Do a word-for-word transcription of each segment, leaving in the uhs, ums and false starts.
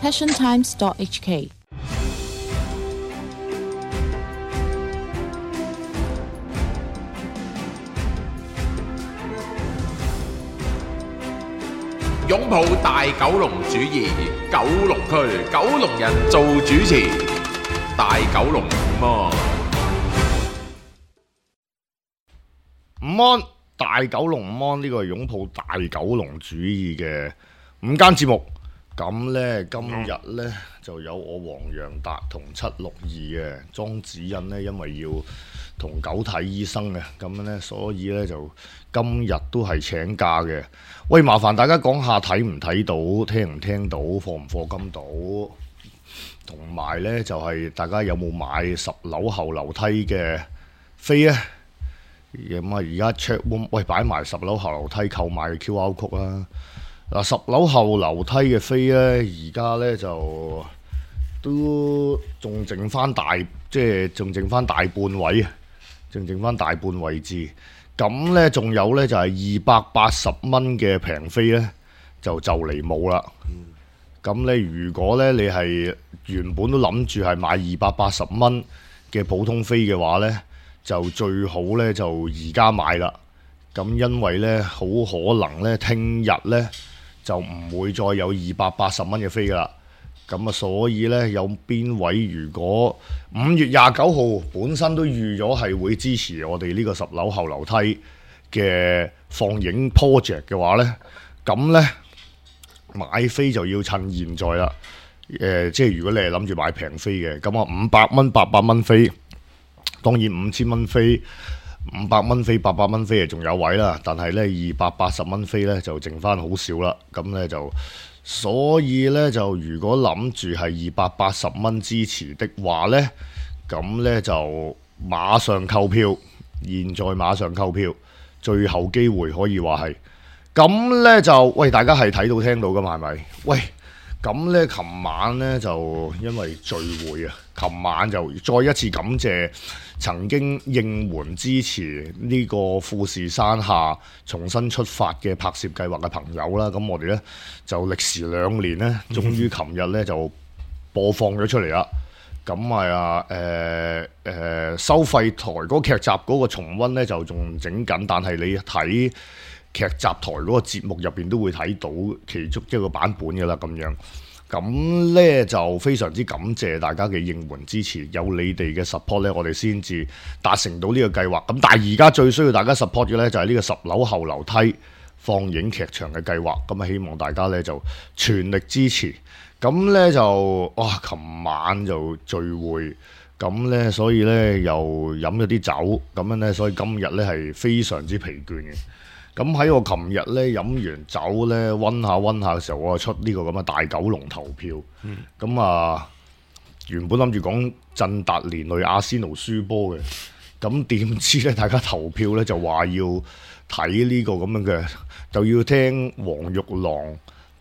passion times dot h k。擁抱大九龍主義，九龍區九龍人做主持，大九龍午安。午安，大九龍午安，呢個係擁抱大九龍主義嘅午間節目。咁呢，今日呢就有我黃洋達同七六二嘅莊子欣呢，因為要同狗睇醫生嘅，咁呢，所以呢就今日都係請假嘅。喂，麻煩大家講下睇唔睇到，聽唔聽到，課唔課金到，同埋呢就係、是、大家有冇買十樓後樓梯嘅飛呢？咁啊，而家 check room 喂擺埋十樓後樓梯購買嘅 Q R code 啦。嗱，十樓後樓梯嘅飛咧，而家咧就都仲剩翻大，即係仲剩翻大半位啊，仲剩翻大半位置。咁咧，仲有咧就係二百八十蚊嘅平飛咧，就就嚟冇啦。咁咧，如果咧你係原本都諗住係買二百八十蚊嘅普通飛嘅話咧，就最好咧就而家買啦。咁因為咧好可能咧聽日咧就唔會再有二百八十蚊嘅飛噶啦。咁啊，所以咧有邊位如果五月廿九號本身都預咗係會支持我哋呢個十樓後樓梯嘅放映 project 嘅話咧，咁咧買飛就要趁現在啦。誒、呃，即係如果你係諗住買平飛嘅，咁啊五百蚊、八百蚊飛。當然五千蚊飛、五百蚊飛、八百蚊飛係仲有位啦，但係咧二百八十蚊飛咧就剩翻好少啦。咁咧就所以咧就如果諗住係二百八十蚊支持的話咧，咁咧就馬上購票，現在馬上購票，最後機會可以話係。咁咧就喂，大家係睇到聽到噶嘛？係咪？喂！咁咧，琴晚咧就因為聚會啊，琴晚就再一次感謝曾經應援支持呢個富士山下重新出發嘅拍攝計劃嘅朋友啦。咁我哋咧就歷時兩年咧，終於琴日咧就播放咗出嚟啦。咁啊誒誒收費台嗰個劇集嗰個重溫咧就仲整緊，但係你睇劇集台嗰個節目入邊都會睇到其中一個版本嘅啦，咁樣咁呢就非常之感謝大家嘅應援支持，有你哋嘅 support 呢，我哋先至達成到呢個計劃。咁但係而家最需要大家 support 嘅呢，就係呢個十樓後樓梯放映劇場嘅計劃。咁啊，希望大家呢就全力支持。咁呢就哇，琴晚就聚會，咁呢所以呢又飲咗啲酒，咁樣呢，所以今日呢係非常之疲倦嘅。咁喺我琴日咧飲完酒咧溫下溫下嘅時候，我就出呢個咁嘅大九龍投票。咁、嗯、啊，原本諗住講振達連累阿仙奴輸波嘅，咁點知咧大家投票咧就話要睇呢個咁樣嘅，就要聽黃玉郎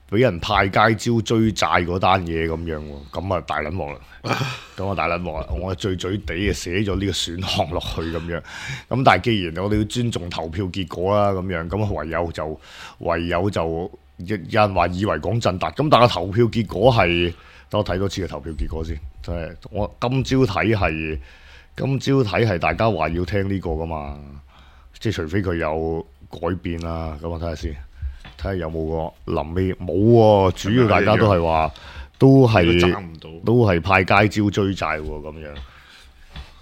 俾人派街招追債嗰單嘢咁樣喎，咁啊大撚鑊啦！咁啊大撚鑊啦！我醉醉地啊寫咗呢個選項落去咁樣，咁但係既然我哋要尊重投票結果啦，咁樣咁唯有就唯有就有人話以為講振達，咁但係投票結果係，等我睇多次嘅投票結果先，即係我今朝睇係今朝睇係大家話要聽呢個噶嘛，即係除非佢有改變啦，咁我睇下先。睇下有冇個臨尾冇喎，主要大家都係話都係都係派街招追債喎咁樣。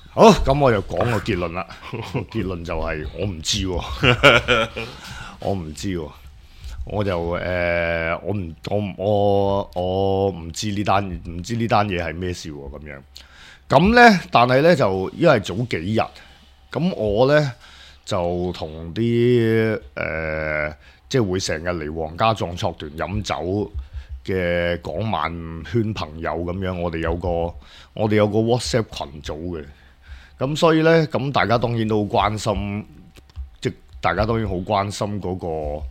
好，咁我就講個結論啦。結論就係我唔知喎，我唔知喎，我就誒、呃、我唔我我我唔知呢單唔知呢單嘢係咩事喎咁樣。咁咧，但係咧就因為早幾日，咁我咧就同啲誒。呃即係會成日嚟皇家壯碩團飲酒嘅港漫圈朋友咁樣，我哋有個我哋有個 WhatsApp 群組嘅，咁所以呢，咁大家當然都好關心，即大家當然好關心嗰個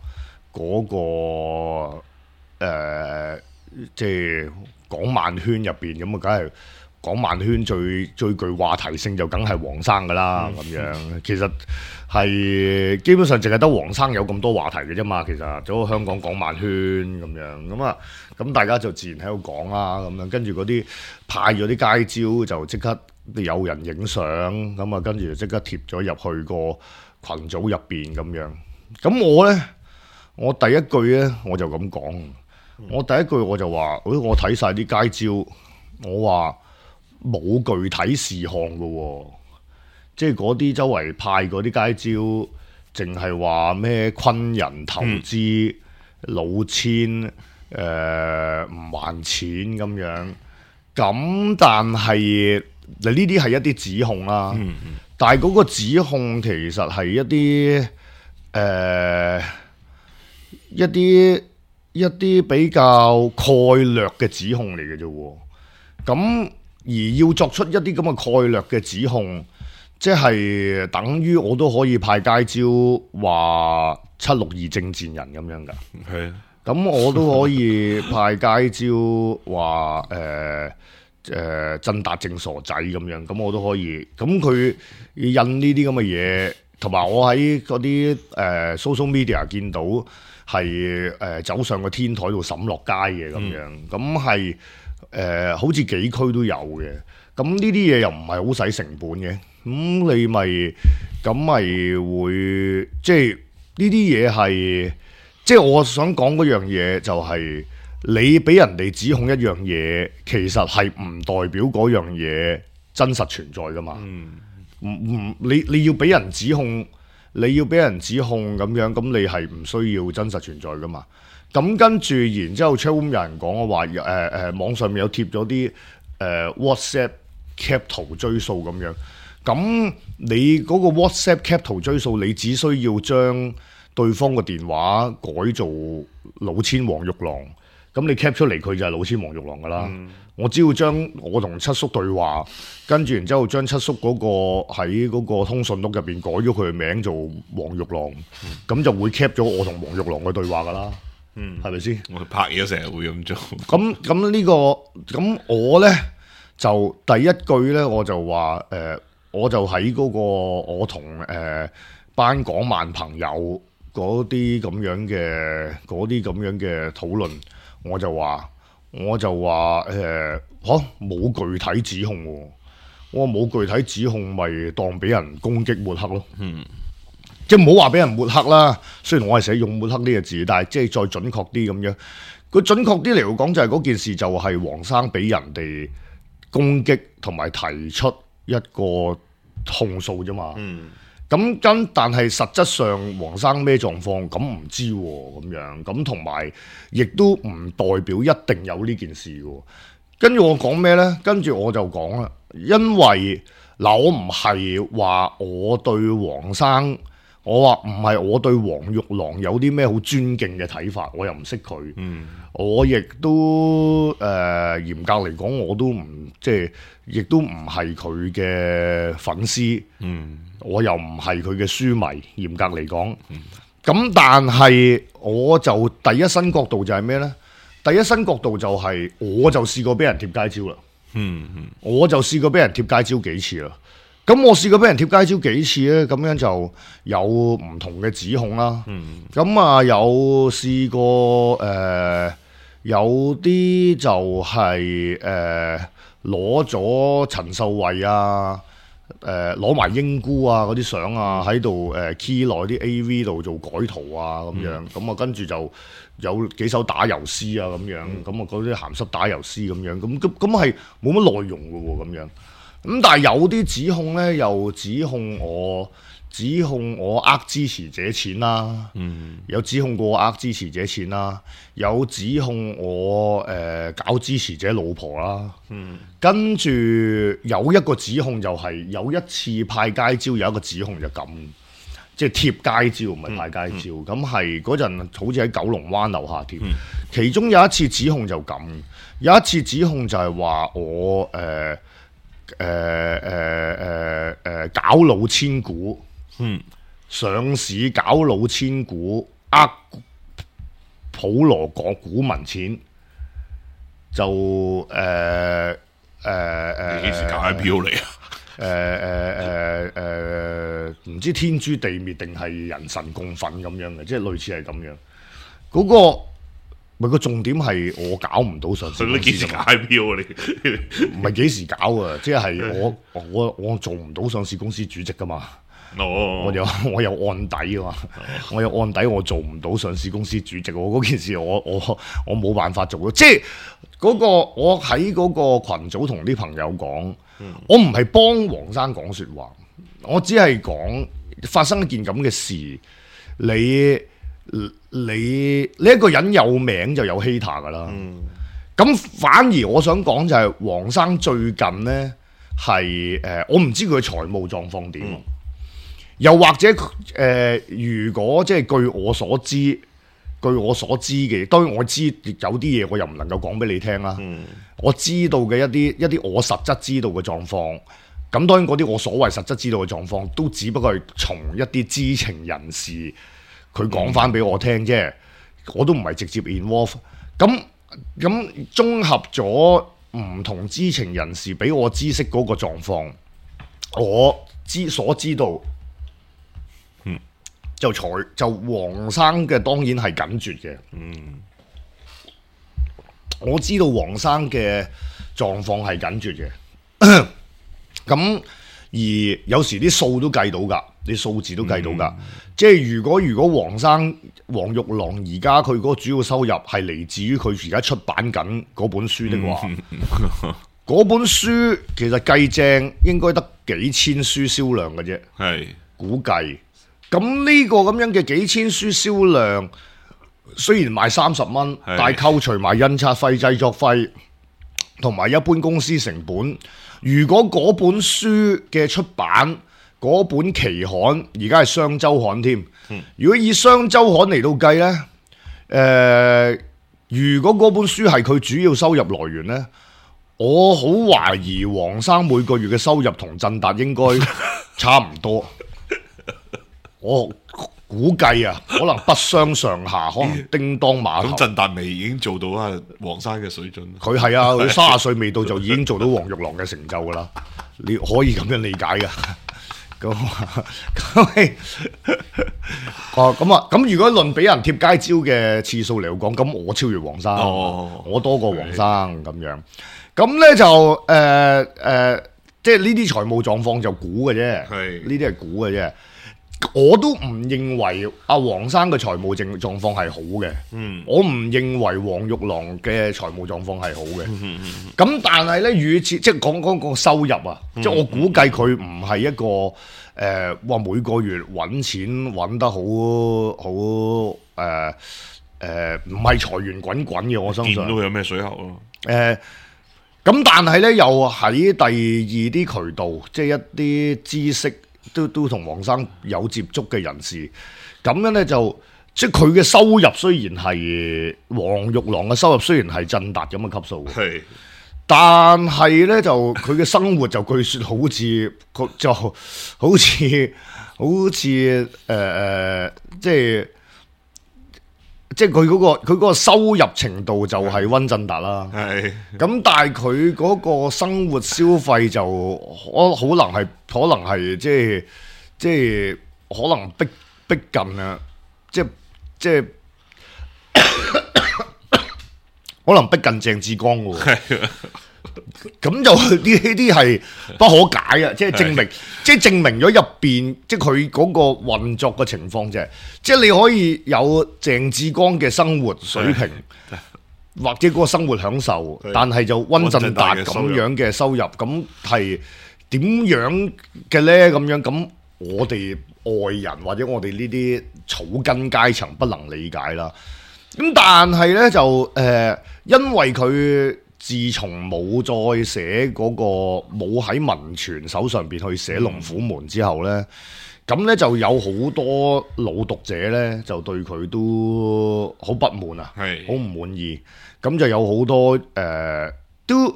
嗰個誒，即係港漫圈入邊咁啊，梗係港漫圈最最具話題性就梗係黃生噶啦咁樣。其實係基本上淨係得黃生有咁多話題嘅啫嘛。其實整個香港港漫圈咁樣咁啊，咁大家就自然喺度講啦咁樣。跟住嗰啲派咗啲街招就即刻有人影相咁啊，跟住就即刻貼咗入去個群組入邊咁樣。咁我呢，我第一句呢，我就咁講，我第一句我就話，誒我睇晒啲街招，我話冇具體事項嘅喎，即係嗰啲周圍派嗰啲街招，淨係話咩昆人投資、嗯、老千誒唔、呃、還錢咁樣，咁但係嗱呢啲係一啲指控啦，嗯嗯、但係嗰個指控其實係一啲誒、呃、一啲一啲比較概略嘅指控嚟嘅啫喎，咁而要作出一啲咁嘅概略嘅指控，即係等於我都可以派街招話七六二政戰人咁樣㗎，係啊，咁我都可以派街招話誒誒振達正傻仔咁樣，咁我都可以，咁佢印呢啲咁嘅嘢，同埋我喺嗰啲誒 social media 見到係誒、呃、走上個天台度審落街嘅咁樣，咁係誒好似幾區都有嘅，咁呢啲嘢又唔係好使成本嘅，咁你咪咁咪會即係呢啲嘢係，即係我想講嗰樣嘢就係、是。你俾人哋指控一樣嘢，其實係唔代表嗰樣嘢真實存在噶嘛？唔唔、嗯，你你要俾人指控，你要俾人指控咁樣，咁你係唔需要真實存在噶嘛？咁跟住，然之後 chatroom 有人講我話，誒、呃、誒、呃，網上面有貼咗啲誒 WhatsApp cap 圖追數咁樣。咁你嗰個 WhatsApp cap 圖追數，你只需要將對方個電話改做老千黃玉郎。咁你 cap 出嚟佢就係老千黃玉郎噶啦，嗯、我只要將我同七叔對話，跟住然之後將七叔嗰個喺嗰個通訊錄入邊改咗佢嘅名做黃玉郎，咁、嗯、就會 cap 咗我同黃玉郎嘅對話噶啦，係咪先？我拍嘢成日會咁做。咁咁呢個咁我呢，就第一句呢，我就話誒、呃，我就喺嗰、嗰個我同誒、呃、班港漫朋友嗰啲咁樣嘅嗰啲咁樣嘅討論。我就話，我就話誒嚇冇具體指控喎，我話冇具體指控，咪當俾人攻擊抹黑咯。嗯，即係唔好話俾人抹黑啦。雖然我係寫用抹黑呢個字，但係即係再準確啲咁樣。佢準確啲嚟講，就係嗰件事就係黃生俾人哋攻擊同埋提出一個控訴啫嘛。嗯。咁跟，但係實質上黃生咩狀況咁唔知喎，咁樣咁同埋亦都唔代表一定有呢件事嘅。跟住我講咩呢？跟住我就講啦，因為嗱，我唔係話我對黃生，我話唔係我對黃玉郎有啲咩好尊敬嘅睇法，我又唔識佢。嗯，我亦都誒、呃、嚴格嚟講，我都唔即係，亦都唔係佢嘅粉絲。嗯。我又唔係佢嘅書迷，嚴格嚟講，咁、嗯、但係我就第一身角度就係咩呢？第一身角度就係、是、我就試過俾人貼街招啦，嗯嗯，我就試過俾人貼街招幾次啦。咁我試過俾人貼街招幾次呢？咁樣就有唔同嘅指控啦。咁、嗯、啊有試過誒、呃，有啲就係誒攞咗陳秀慧啊。誒攞埋英姑啊嗰啲相啊喺度誒 key 內啲 A V 度做改圖啊咁樣，咁啊跟住就有幾首打油詩啊咁樣，咁啊嗰啲鹹濕打油詩咁樣，咁咁咁係冇乜內容嘅喎咁樣，咁但係有啲指控咧又指控我指控我呃支持者錢啦，嗯、有指控過我呃支持者錢啦，有指控我誒、呃、搞支持者老婆啦，嗯、跟住有一個指控就係、是、有一次派街招，有一個指控就咁，即係貼街招唔係派街招，咁係嗰陣好似喺九龍灣樓下貼，嗯、其中有一次指控就咁，有一次指控就係話我誒誒誒誒誒搞老千股。嗯，上市搞老千股，呃普羅港股民錢，就誒、呃、誒你幾時搞 I P O 嚟啊？誒誒誒誒，唔知天誅地滅定係人神共憤咁樣嘅，即係類似係咁樣。嗰、個咪個重點係我搞唔到上市公司。你幾時搞 I P O 啊？你唔係幾時搞啊？即係我我我做唔到上市公司主席噶嘛。哦，我有我有案底啊嘛，我有案底，我做唔到上市公司主席。我嗰件事我我我冇辦法做到，即係嗰、個我喺嗰個群組同啲朋友講，嗯、我唔係幫黃生講説話，我只係講發生一件咁嘅事，你你你一個人有名就有 hater 噶啦，咁、嗯、反而我想講就係黃生最近呢係誒、呃，我唔知佢嘅財務狀況點。嗯又或者誒、呃，如果即係據我所知，據我所知嘅，當然我知有啲嘢我又唔能夠講俾你聽啦。嗯、我知道嘅一啲一啲我實質知道嘅狀況，咁當然嗰啲我所謂實質知道嘅狀況，都只不過係從一啲知情人士佢講翻俾我聽啫，嗯、我都唔係直接 involve。咁咁綜合咗唔同知情人士俾我知悉嗰個狀況，我知所知道。就財就黃生嘅當然係緊絕嘅，嗯，我知道黃生嘅狀況係緊絕嘅，咁而有時啲數都計到㗎，啲數字都計到㗎，嗯、即係如果如果黃生黃玉郎而家佢嗰個主要收入係嚟自於佢而家出版緊嗰本書的話，嗰、嗯、本書其實計正應該得幾千書銷量嘅啫，係是估計。咁呢個咁樣嘅幾千書銷量，雖然賣三十蚊，是但係扣除埋印刷費、製作費同埋一般公司成本，如果嗰本書嘅出版嗰本期刊而家係雙週刊添，嗯、如果以雙週刊嚟到計呢，誒、呃，如果嗰本書係佢主要收入來源呢，我好懷疑黃生每個月嘅收入同振達應該差唔多。我估計啊，可能不相上下，可能叮當馬頭。咁振達未已經做到啊黃生嘅水準。佢係啊，佢三十歲未到就已經做到黃玉郎嘅成就噶啦，你可以咁樣理解噶。咁咁哦咁啊，咁如果論俾人貼街招嘅次數嚟講，咁我超越黃生，哦、我多過黃生咁樣。咁咧就誒誒、呃呃，即係呢啲財務狀況就估嘅啫，係呢啲係估嘅啫。我都唔認為阿黃生嘅財務狀狀況係好嘅，嗯、我唔認為黃玉郎嘅財務狀況係好嘅。咁、嗯嗯、但係咧，與此即係講講個收入啊，嗯、即係我估計佢唔係一個誒，話、呃、每個月揾錢揾得好好誒誒，唔係財源滾滾嘅。我相信見到佢有咩水喉咯。誒、呃，咁但係咧，又喺第二啲渠道，即係一啲知識。都都同黃生有接觸嘅人士，咁樣咧就即係佢嘅收入雖然係黃玉郎嘅收入雖然係振達咁嘅級數，係是，但係咧就佢嘅生活就據說好似就好似好似誒誒，即係即係佢嗰個佢嗰個收入程度就係溫振達啦，係是，咁但係佢嗰個生活消費就可可能係。可能係即係即係可能逼逼近啊！即係即係可能逼近鄭志剛喎。咁就呢啲係不可解啊！即係證明，即係證明咗入邊，即係佢嗰個運作嘅情況啫。即係你可以有鄭志剛嘅生活水平，或者嗰個生活享受，但係就溫振達咁樣嘅收入，咁係。點樣嘅呢？咁樣咁，我哋外人或者我哋呢啲草根階層不能理解啦。咁但係呢，就誒、呃，因為佢自從冇再寫嗰、那個冇喺文傳手上邊去寫《龍虎門》之後呢，咁呢、嗯、就有好多老讀者呢，就對佢都好不滿啊，係好唔滿意。咁就有好多誒、呃、都。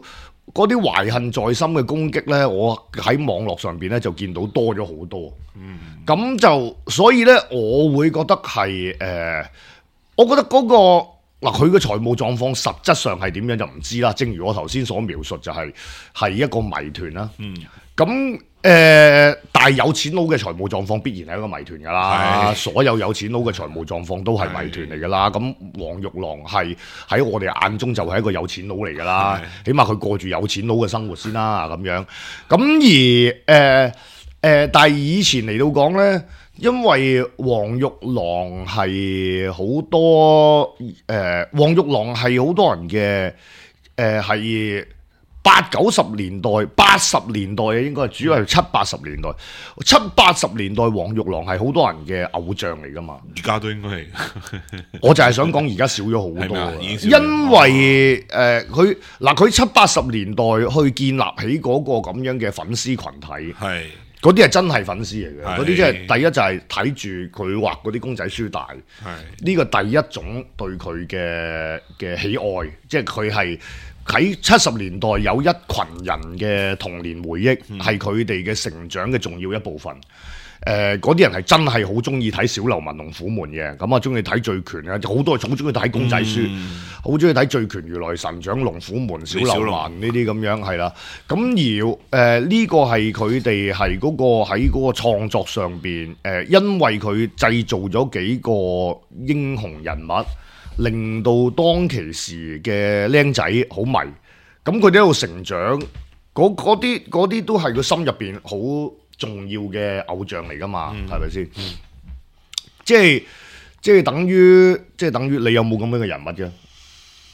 嗰啲懷恨在心嘅攻擊呢，我喺網絡上邊呢就見到多咗好多。嗯，咁就所以呢，我會覺得係誒、呃，我覺得嗰、嗰個嗱，佢嘅財務狀況實質上係點樣就唔知啦。正如我頭先所描述，就係、係、係一個謎團啦。嗯，咁誒、呃，但係有錢佬嘅財務狀況必然係一個謎團㗎啦。所有有錢佬嘅財務狀況都係謎團嚟㗎啦。咁黃玉郎係喺我哋眼中就係一個有錢佬嚟㗎啦。起碼佢過住有錢佬嘅生活先啦，咁樣。咁而誒誒、呃呃，但係以前嚟到講咧。因為黃玉郎係好多誒、呃，黃玉郎係好多人嘅誒，係八九十年代、八十年代啊，應該係主要係七八十年代。七八十年代黃玉郎係好多人嘅偶像嚟㗎嘛。而家都應該係，我就係想講而家少咗好多，因為誒佢嗱佢七八十年代去建立起嗰個咁樣嘅粉絲群體係。嗰啲係真係粉絲嚟嘅，嗰啲即係第一就係睇住佢畫嗰啲公仔書大，呢個第一種對佢嘅嘅喜愛，即係佢係喺七十年代有一群人嘅童年回憶，係佢哋嘅成長嘅重要一部分。誒嗰啲人係真係好中意睇小流氓龍虎門嘅，咁啊中意睇醉拳啊，好多人好中意睇公仔書，好中意睇醉拳、如來神掌、龍虎門、小流氓呢啲咁樣係啦。咁而誒呢、呃這個係佢哋係嗰個喺嗰個創作上邊誒、呃，因為佢製造咗幾個英雄人物，令到當其時嘅僆仔好迷。咁佢哋喺度成長，嗰啲嗰啲都係佢心入邊好重要嘅偶像嚟噶嘛，係咪先？即係即係等於即係等於你有冇咁樣嘅人物啫？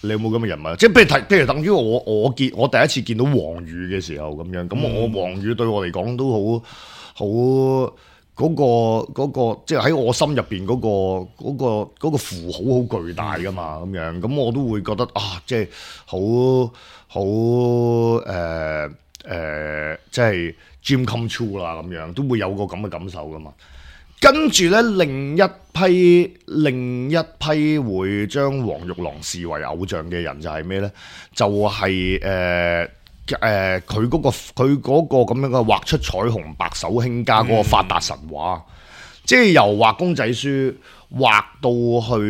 你有冇咁嘅人物？即係譬如睇，譬如等於我我見我第一次見到黃宇嘅時候咁樣，咁、嗯、我黃宇對我嚟講都好好嗰個嗰、嗰個，即係喺我心入邊嗰個嗰、嗰個嗰個符號好巨大噶嘛，咁樣咁我都會覺得啊，即係好好誒誒，即係。Dream come true 啦，咁樣都會有個咁嘅感受噶嘛。跟住咧，另一批另一批會將黃玉郎視為偶像嘅人就係咩咧？就係誒誒，佢嗰個佢嗰個咁樣嘅畫出彩虹白手興家嗰個發達神話，嗯、即係由畫公仔書畫到去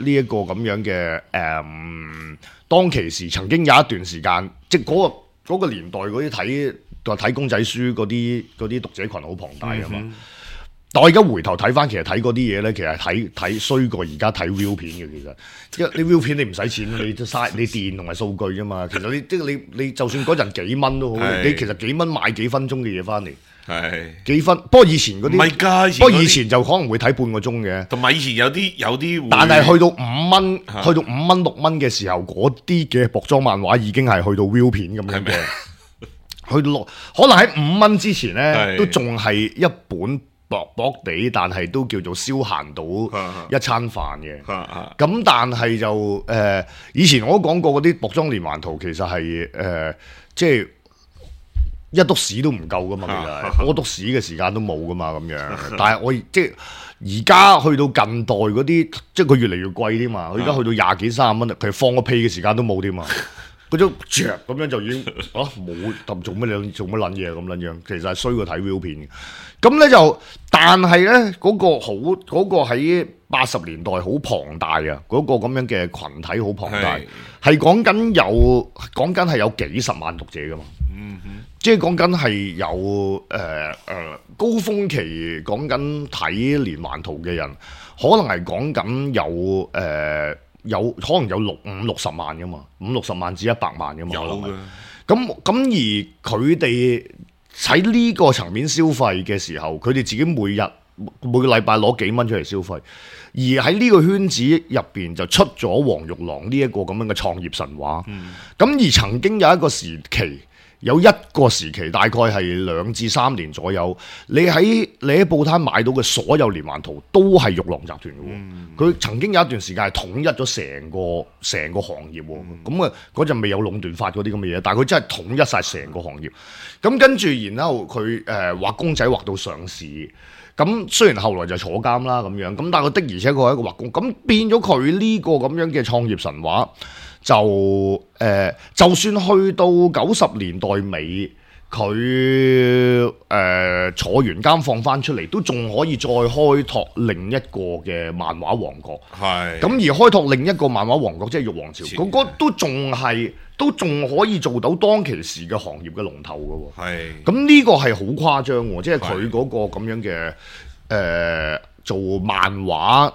呢一個咁樣嘅誒、嗯，當其時曾經有一段時間，即係嗰個嗰個年代嗰啲睇。就睇公仔書嗰啲嗰啲讀者群好龐大㗎嘛，嗯、但我而家回頭睇翻，其實睇嗰啲嘢咧，其實睇睇衰過而家睇 view 片嘅。其實，因為你 view 片你唔使錢，你嘥你電同埋數據啫嘛。其實你即係你你就算嗰陣幾蚊都好，你其實幾蚊買幾分鐘嘅嘢翻嚟，係幾分。不過以前嗰啲唔係㗎，不過以前就可能會睇半個鐘嘅。同埋以前有啲有啲，但係去到五蚊，去到五蚊六蚊嘅時候，嗰啲嘅薄裝漫畫已經係去到 view 片咁樣嘅。去到六，可能喺五蚊之前咧，都仲係一本薄薄地，但係都叫做消閒到一餐飯嘅。咁但係就誒、呃，以前我都講過嗰啲薄裝連環圖，其實係誒、呃，即係一篤屎都唔夠噶嘛，其實屙篤屎嘅時間都冇噶嘛，咁樣。但係我即係而家去到近代嗰啲，即係佢越嚟越貴啲嘛。佢而家去到廿幾三十蚊，佢放個屁嘅時間都冇添嘛。嗰種著咁樣就已經啊冇揼做乜嘢做乜撚嘢咁撚樣，其實係衰過睇 view 片嘅。咁咧就，但係咧嗰個好嗰、嗰個喺八十年代好龐大啊，嗰、嗰個咁樣嘅群體好龐大，係講緊有講緊係有幾十萬讀者噶嘛，嗯哼，即係講緊係有誒誒、呃呃、高峰期講緊睇連環圖嘅人，可能係講緊有誒。呃有可能有六五六十萬噶嘛，五六十萬至一百萬噶嘛，有嘅。咁咁而佢哋喺呢個層面消費嘅時候，佢哋自己每日每個禮拜攞幾蚊出嚟消費，而喺呢個圈子入邊就出咗黃玉郎呢一個咁樣嘅創業神話。咁、嗯、而曾經有一個時期。有一個時期大概係兩至三年左右，你喺你喺報攤買到嘅所有連環圖都係玉郎集團嘅喎。佢、嗯、曾經有一段時間係統一咗成個成個行業喎。咁啊嗰陣未有壟斷法嗰啲咁嘅嘢，但係佢真係統一晒成個行業。咁跟住然後佢誒畫公仔畫到上市。咁雖然後來就坐監啦咁樣，咁但係佢的而且確係一個畫工。咁變咗佢呢個咁樣嘅創業神話。就誒、呃，就算去到九十年代尾，佢誒、呃、坐完監放翻出嚟，都仲可以再開拓另一個嘅漫畫王國。係咁而開拓另一個漫畫王國，即係玉皇朝，嗰、嗰個都仲係都仲可以做到當其時嘅行業嘅龍頭嘅喎。係咁呢個係好誇張喎，即係佢嗰個咁樣嘅誒、呃、做漫畫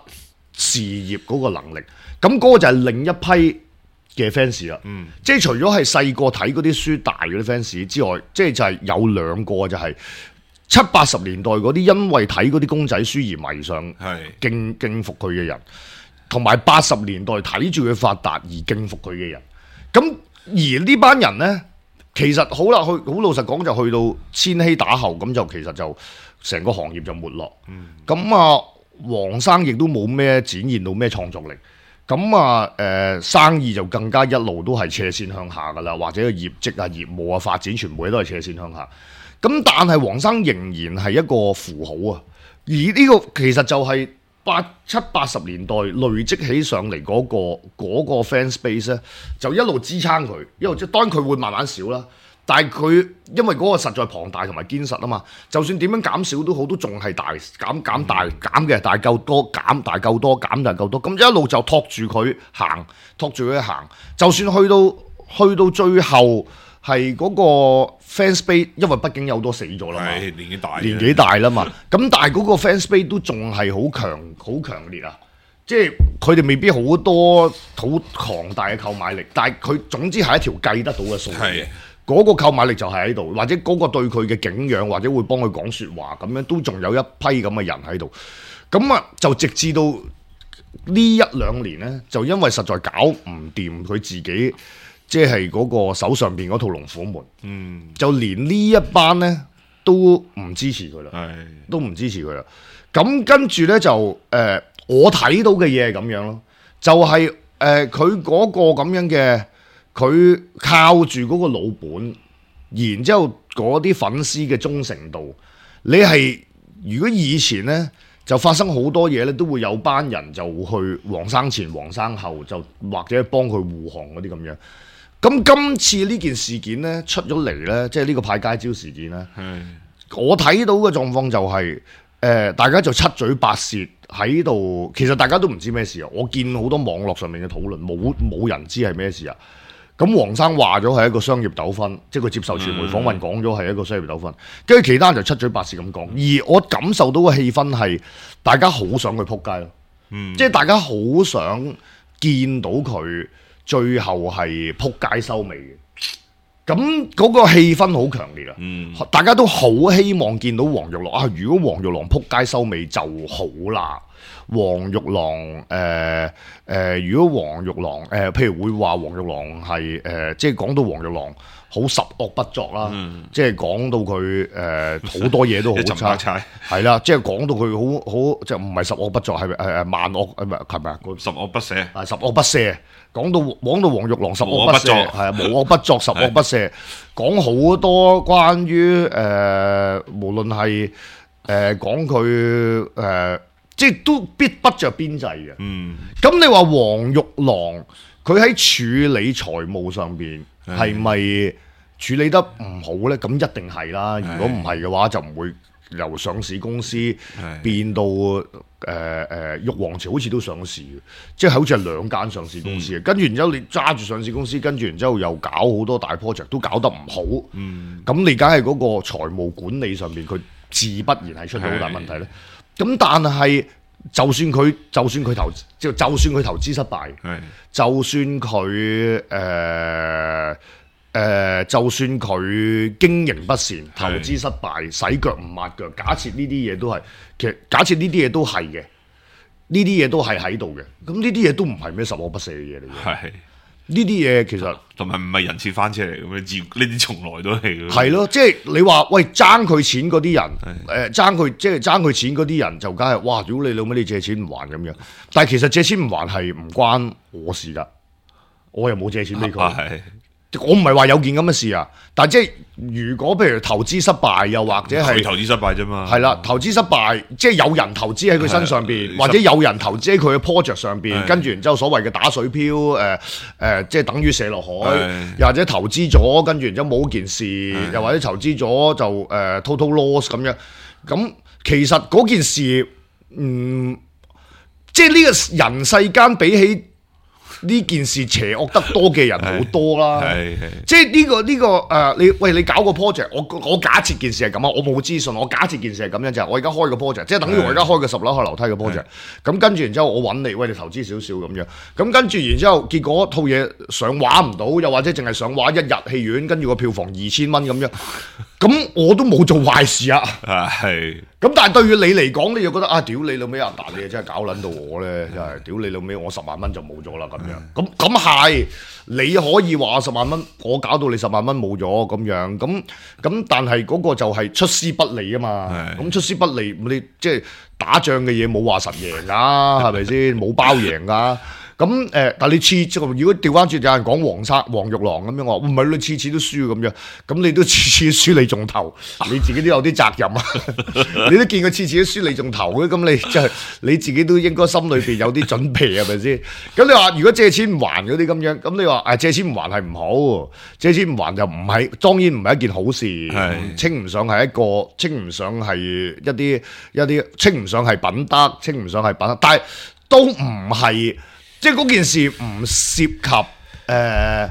事業嗰個能力。咁嗰個就係另一批嘅 fans 啦，嗯、即係除咗係細個睇嗰啲書大嗰啲 fans 之外，即係就係有兩個就係七八十年代嗰啲因為睇嗰啲公仔書而迷上敬敬服佢嘅人，同埋八十年代睇住佢發達而敬服佢嘅人。咁而呢班人呢，其實好啦，去好老實講就去到千禧打後，咁就其實就成個行業就沒落。咁、嗯、啊，黃生亦都冇咩展現到咩創作力。咁啊，誒、呃、生意就更加一路都係斜線向下噶啦，或者個業績啊、業務啊、發展全部嘢都係斜線向下。咁但係黃生仍然係一個符號啊，而呢個其實就係八七八十年代累積起上嚟嗰、嗰個嗰、嗰個 fan space 咧，就一路支撐佢，一路即係當然佢會慢慢少啦。但係佢因為嗰個實在龐大同埋堅實啊嘛，就算點樣減少都好，都仲係大減減大減嘅，大夠多減大夠多減大夠多，咁一路就托住佢行，托住佢行。就算去到去到最後係嗰個 fans base，因為畢竟有好多死咗啦嘛，年紀大年紀大啦嘛，咁但係嗰個 fans base 都仲係好強好強烈啊！即係佢哋未必好多好龐大嘅購買力，但係佢總之係一條計得到嘅數嘅。嗰個購買力就係喺度，或者嗰個對佢嘅敬仰，或者會幫佢講説話咁樣，都仲有一批咁嘅人喺度。咁啊，就直至到呢一兩年呢，就因為實在搞唔掂佢自己，即係嗰個手上邊嗰套龍虎門，嗯，就連呢一班呢都唔支持佢啦，係都唔支持佢啦。咁跟住呢，就誒、呃，我睇到嘅嘢係咁樣咯，就係誒佢嗰個咁樣嘅。佢靠住嗰個老本，然之後嗰啲粉絲嘅忠誠度，你係如果以前呢，就發生好多嘢呢，都會有班人就去黃生前黃生後，就或者幫佢護航嗰啲咁樣。咁今次呢件事件呢，出咗嚟呢，即係呢個派街招事件呢，的我睇到嘅狀況就係、是、誒、呃、大家就七嘴八舌喺度，其實大家都唔知咩事啊！我見好多網絡上面嘅討論，冇冇人知係咩事啊！咁黃生話咗係一個商業糾紛，即係佢接受傳媒訪問講咗係一個商業糾紛，跟住其他人就七嘴八舌咁講，而我感受到嘅氣氛係大家好想佢撲街咯，嗯、即係大家好想見到佢最後係撲街收尾嘅，咁嗰個氣氛好強烈啊！嗯、大家都好希望見到黃玉郎啊！如果黃玉郎撲街收尾就好啦。黃玉郎誒誒、呃呃，如果黃玉郎誒、呃，譬如會話黃玉郎係誒、呃，即係講到黃玉郎好十惡不作啦，嗯、即係講到佢誒好多嘢都好差，係啦，即係講到佢好好，即係唔係十惡不作，係誒誒萬惡誒唔係係咪啊？十惡不赦係十惡不赦，講到講到黃玉郎十惡不赦，係啊無惡不作，十惡不赦，講好多關於誒、呃，無論係誒講佢誒。呃即係都必不着邊際嘅。嗯，咁你話黃玉郎佢喺處理財務上邊係咪處理得唔好咧？咁一定係啦。如果唔係嘅話，就唔會由上市公司變到誒誒玉皇朝好似都上市嘅，即係好似係兩間上市公司嘅。嗯、跟住然之後你揸住上市公司，跟住然之後又搞好多大 project 都搞得唔好。嗯，咁你梗係嗰個財務管理上邊佢自不然係出咗好大問題咧。咁但係，就算佢就算佢投就就算佢投資失敗，的就算佢誒誒，就算佢經營不善、投資失敗、的洗腳唔抹腳，假設呢啲嘢都係，其實假設呢啲嘢都係嘅，呢啲嘢都係喺度嘅，咁呢啲嘢都唔係咩十惡不赦嘅嘢嚟嘅。呢啲嘢其實同埋唔係人設翻車嚟嘅咩？自呢啲從來都係嘅。係咯，即係你話喂爭佢錢嗰啲人，誒爭佢即係爭佢錢嗰啲人就梗係哇！如果你老味你借錢唔還咁樣，但係其實借錢唔還係唔關我事㗎，我又冇借錢俾佢。我唔係話有件咁嘅事啊，但係即係如果譬如投資失敗，又或者係投資失敗啫嘛。係啦，投資失敗，即係有人投資喺佢身上邊，或者有人投資喺佢嘅 project 上邊，跟住然之後所謂嘅打水漂，誒、呃、誒、呃，即係等於射落海，又或者投資咗，跟住然之後冇件事，又或者投資咗就誒、呃、total loss 咁樣。咁其實嗰件事，嗯，即係呢個人世間比起呢件事邪惡得多嘅人好多啦，即係呢個呢、這個誒、呃，你喂你搞個 project，我我假設件事係咁啊，我冇資訊，我假設件事係咁樣就係、是、我而家開個 project，即係等於我而家開個十樓下樓梯嘅 project，咁跟住然之後我揾你，喂你投資少少咁樣，咁跟住然之後結果套嘢上畫唔到，又或者淨係上畫一日戲院，跟住個票房二千蚊咁樣，咁我都冇做壞事啊，係。咁但係對於你嚟講，你就覺得啊，屌你老味啊，嗱你真係搞撚到我咧，真係屌你老味，我十萬蚊就冇咗啦咁樣。咁咁係，你可以話十萬蚊，我搞到你十萬蚊冇咗咁樣。咁咁但係嗰個就係出師不利啊嘛。咁出師不利，你即係打仗嘅嘢冇話實贏㗎，係咪先？冇包贏㗎。咁誒、呃，但係你次次如果調翻轉，有人講黃沙黃玉郎咁樣，我唔係你次次都輸咁樣，咁你都次次輸你中頭，你自己都有啲責任啊！你都見佢次次都輸你中頭嘅，咁你即係你自己都應該心裏邊有啲準備係咪先？咁你話如果借錢唔還嗰啲咁樣，咁你話誒、啊、借錢唔還係唔好，借錢唔還就唔係，當然唔係一件好事，稱唔上係一個，稱唔上係一啲一啲，稱唔上係品德，稱唔上係品德，但係都唔係。即係嗰件事唔涉及誒，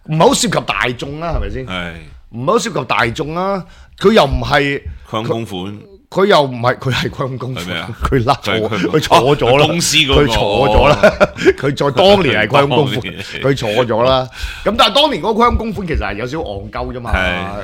唔係好涉及大眾啦，係咪先？係唔係好涉及大眾啦？佢又唔係虧公款，佢又唔係佢係虧公款，佢甩咗，佢錯錯咗啦。公司嗰個佢錯咗啦。佢在當年係虧公款，佢錯咗啦。咁但係當年嗰個虧公款其實係有少少戇鳩啫嘛。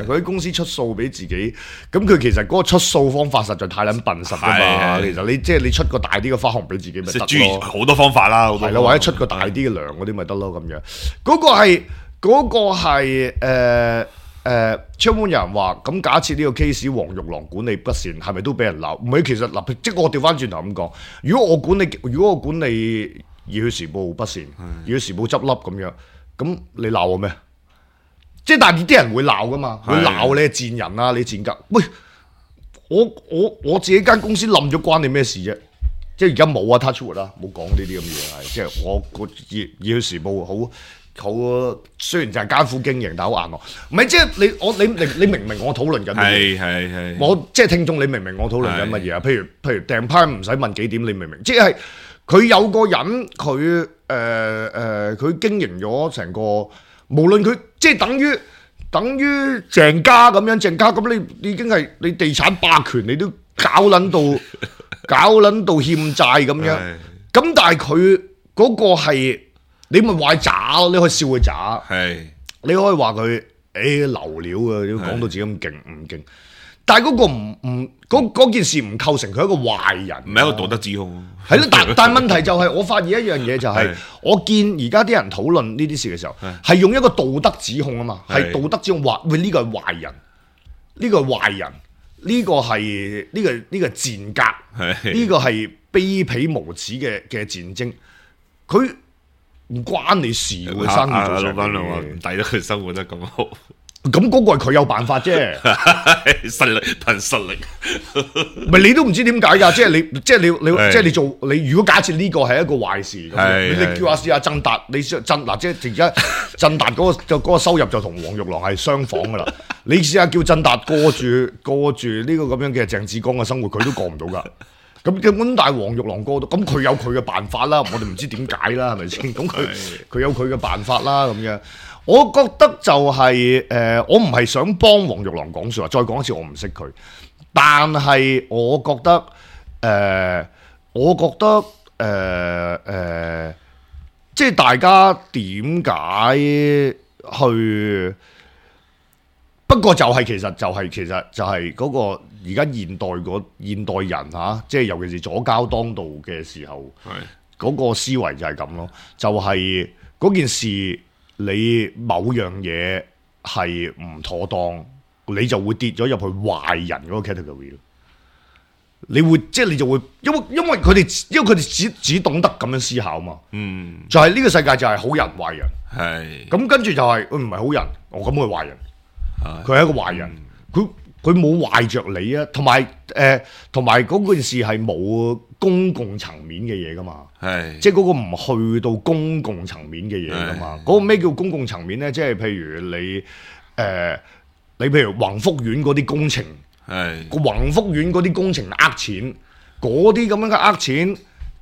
佢喺公司出數俾自己，咁佢其實嗰個出數方法實在太撚笨實㗎嘛。其實你即係你出個大啲嘅花紅俾自己咪得咯。好多方法啦，係啦，或者出個大啲嘅糧嗰啲咪得咯咁樣。嗰個係嗰個係誒。誒，窗門有人話，咁假設呢個 case 黃玉郎管理不善，係咪都俾人鬧？唔係，其實嗱，即係我調翻轉頭咁講，如果我管理，如果我管理《熱血時報》不善，《熱血時報》執笠咁樣，咁你鬧我咩？即係但係啲人會鬧噶嘛，會鬧你係賤人啊，你賤格。喂，我我我自己間公司冧咗，關你咩事啫？即係而家冇啊 touch wood 啦，冇講呢啲咁嘅嘢係，即係我個《熱熱血時報》好。好，雖然就係艱苦經營，但係好硬喎。唔係即係你我你你你明唔明我討論緊乜嘢？係係係。我即係聽眾，你明唔明我討論緊乜嘢啊？譬如譬如訂牌唔使問幾點，你明唔明？即係佢有個人，佢誒誒，佢經營咗成個，無論佢即係等於等於鄭家咁樣，鄭家咁你已經係你地產霸權，你都搞撚到搞撚到欠債咁樣。咁但係佢嗰個係。你咪話佢渣咯，你可以笑佢渣，你可以話佢誒流料啊，你講到自己咁勁唔勁？但係嗰個唔唔嗰件事唔構成佢一個壞人，唔係一個道德指控。係咯，但但問題就係、是、我發現一樣嘢就係、是，我見而家啲人討論呢啲事嘅時候，係用一個道德指控啊嘛，係道德指控話喂呢個係壞人，呢、呢個係壞人，呢、呢個係呢、呢個呢、呢個賤格，呢個係卑鄙無恥嘅嘅戰爭，佢。唔關你事喎，生意做成嘅，唔抵得佢生活得咁好。咁嗰個係佢有辦法啫，實力憑實力。唔係你都唔知點解㗎，即係你，即係你，你即係你做你。如果假設呢個係一個壞事，咁你你叫下試下振達，你振嗱即係而家振達嗰個就嗰個收入就同黃玉郎係相仿㗎啦。你試下叫振達過住過住呢個咁樣嘅鄭志剛嘅生活，佢都過唔到㗎。咁咁但係黃玉郎過到，咁佢有佢嘅辦法啦，我哋唔知點解啦，係咪先？咁佢佢有佢嘅辦法啦，咁樣。我覺得就係、是、誒、呃，我唔係想幫黃玉郎講説話，再講一次，我唔識佢。但係我覺得誒、呃，我覺得誒誒、呃呃，即係大家點解去？不過就係其實就係、是、其實就係嗰個而家現代個現代人嚇，即係尤其是左膠當道嘅時候，嗰、那個思維就係咁咯，就係、是、嗰件事你某樣嘢係唔妥當，你就會跌咗入去壞人嗰個 category 咯。你會即係你就會，因為因為佢哋因為佢哋只只懂得咁樣思考嘛。嗯，就係呢個世界就係好人壞人。係咁跟住就係佢唔係好人，我咁佢壞人，係佢係一個壞人，佢佢冇壞着你啊，同埋誒同埋嗰件事係冇公共層面嘅嘢噶嘛，係即係嗰個唔去到公共層面嘅嘢噶嘛，嗰個咩叫公共層面咧？即係譬如你誒、呃、你譬如宏福苑嗰啲工程，係個宏福苑嗰啲工程呃錢，嗰啲咁樣嘅呃錢，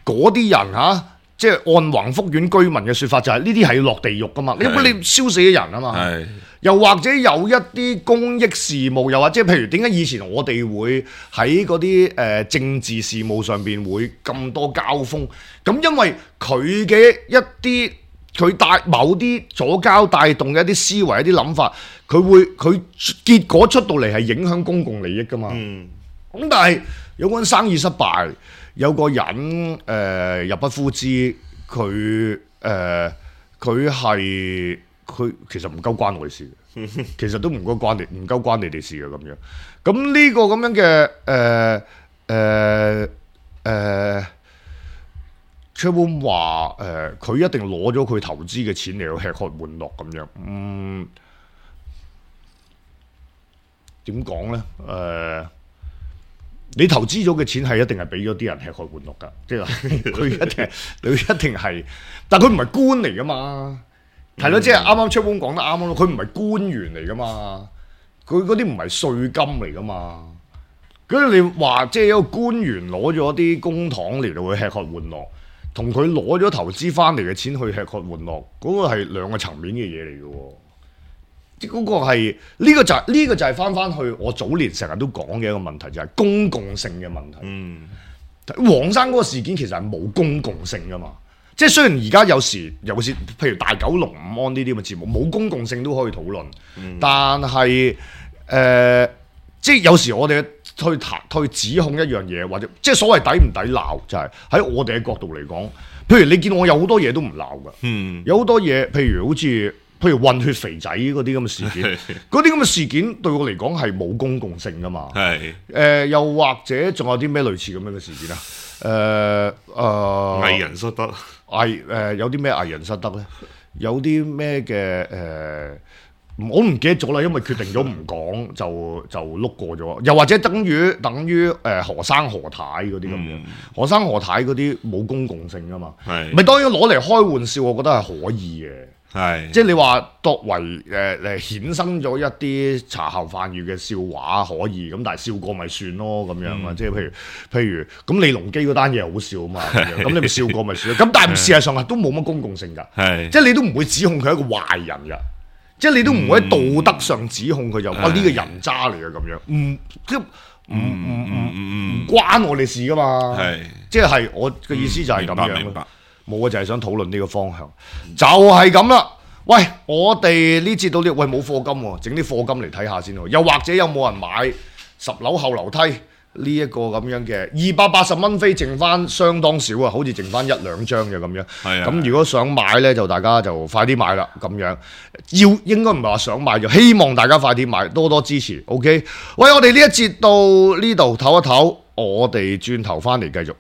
嗰啲人嚇。啊即係按宏福苑居民嘅説法，就係呢啲係要落地獄噶嘛，因為你燒死咗人啊嘛。又或者有一啲公益事務，又或者譬如點解以前我哋會喺嗰啲誒政治事務上邊會咁多交鋒？咁因為佢嘅一啲佢帶某啲左膠帶動嘅一啲思維、一啲諗法，佢會佢結果出到嚟係影響公共利益噶嘛。嗯，咁但係有個人生意失敗。有個人誒、呃、入不敷支，佢誒佢係佢其實唔夠關我哋事嘅，其實都唔夠關你唔夠關你哋事嘅咁樣。咁呢個咁樣嘅誒誒誒 Chatroom 話誒，佢一定攞咗佢投資嘅錢嚟去吃喝玩樂咁樣。嗯，點講咧？誒、呃。你投資咗嘅錢係一定係俾咗啲人吃喝玩樂㗎，即係佢一定佢一定係，但佢唔係官嚟㗎嘛，係咯、嗯，即係啱啱出本講得啱咯，佢唔係官員嚟㗎嘛，佢嗰啲唔係稅金嚟㗎嘛，咁你話即係一個官員攞咗啲公帑嚟到去吃喝玩樂，同佢攞咗投資翻嚟嘅錢去吃喝玩樂，嗰、嗰個係兩個層面嘅嘢嚟㗎喎。嗰個係呢、這個就係、是、呢、這個就係翻翻去我早年成日都講嘅一個問題，就係、是、公共性嘅問題。嗯，黃生嗰個事件其實係冇公共性噶嘛，即係雖然而家有時尤其是譬如大九龍午安呢啲咁嘅節目冇公共性都可以討論，嗯、但係誒、呃、即係有時我哋去談去指控一樣嘢，或者即係所謂抵唔抵鬧，就係、是、喺我哋嘅角度嚟講，譬如你見我有好多嘢都唔鬧噶，嗯、有好多嘢譬如好似。譬如混血肥仔嗰啲咁嘅事件，嗰啲咁嘅事件對我嚟講係冇公共性噶嘛。係誒、呃，又或者仲有啲咩類似咁樣嘅事件啊？誒、呃、誒，呃、藝人失德，藝誒、呃、有啲咩藝人失德咧？有啲咩嘅誒？我唔記得咗啦，因為決定咗唔講就就碌過咗。又或者等於等於誒、呃、何生何太嗰啲咁樣，嗯、何生何太嗰啲冇公共性噶嘛。係咪當然攞嚟開玩笑，我覺得係可以嘅。係，即係你話作為誒誒衍生咗一啲茶後飯餘嘅笑話可以，咁但係笑過咪算咯咁樣啊！嗯、即係譬如譬如咁李隆基嗰單嘢好笑啊嘛，咁你咪笑過咪算咯。咁但係事實上係都冇乜公共性㗎，係即係你都唔會指控佢係一個壞人㗎，即係你都唔會喺道德上指控佢就哇呢個人渣嚟嘅咁樣，唔即唔唔唔唔關我哋事㗎嘛，係即係我嘅意思就係咁樣咯。冇啊，就係想討論呢個方向，就係咁啦。喂，我哋呢節到呢，喂冇課金喎，整啲課金嚟睇下先喎。又或者有冇人買十樓後樓梯呢一個咁樣嘅二百八十蚊飛，剩翻相當少啊，好似剩翻一兩張嘅咁樣。係啊。咁如果想買呢，就大家就快啲買啦。咁樣要應該唔係話想買，就希望大家快啲買，多多支持。OK。喂，我哋呢一節到呢度唞一唞，我哋轉頭翻嚟繼續。